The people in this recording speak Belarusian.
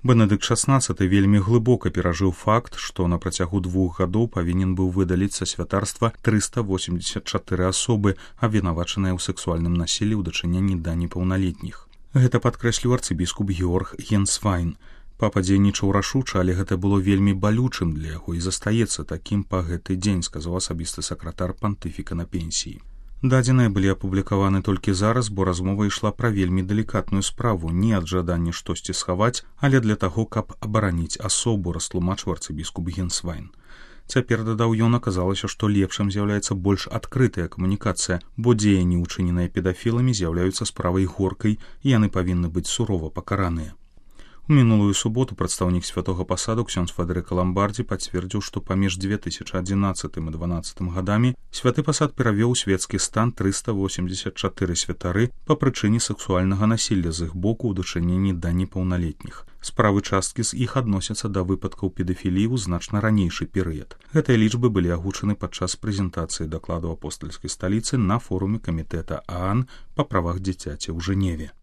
Бенедыкт XVI вельмі глыбока перажыў факт, што на працягу 2 гадоў павінен быў выдаліць са святарства 384 асобы, абвінавачаныя ў сэксуальным насіллі ў дачыненні да непаўналетніх. Гэта падкрэсліў арцыбіскуп Георг Генсвайн. Папа дзейнічаў рашуча, але гэта было вельмі балючым для яго і застаецца такім па гэты дзень, сказаў асабісты сакратар пантыфіка на пенсіі. Дадзеныя былі апублікаваны толькі зараз, бо размова ішла пра вельмі далікатную справу, не ад жадання штосьці схаваць, але для таго, каб абараніць асобу, растлумачыў арцыбіскуп Генсвайн. Цяпер, дадаў ён, аказалася, што лепшым з'яўляецца больш адкрытая камунікацыя, бо дзеянні, учыненыя педафіламі, з'яўляюцца справай горкай, і яны павінны быць сурова пакараныя. У мінулую суботу прадстаўнік святога пасаду ксёндз Федэрыка Ламбардзі пацвердзіў, што паміж 2011 і 2012 гадамі святы пасад перавёў у свецкі стан 384 святары па прычыне сэксуальнага насілля з іх боку ў дачыненні да непаўналетніх. Справы часткі з іх адносяцца да выпадкаў педафіліі ў значна ранейшы перыяд. Гэтыя лічбы былі агучаны падчас прэзентацыі дакладу апостальскай сталіцы на форуме камітэта ААН па правах дзіцяці ў Жэневе.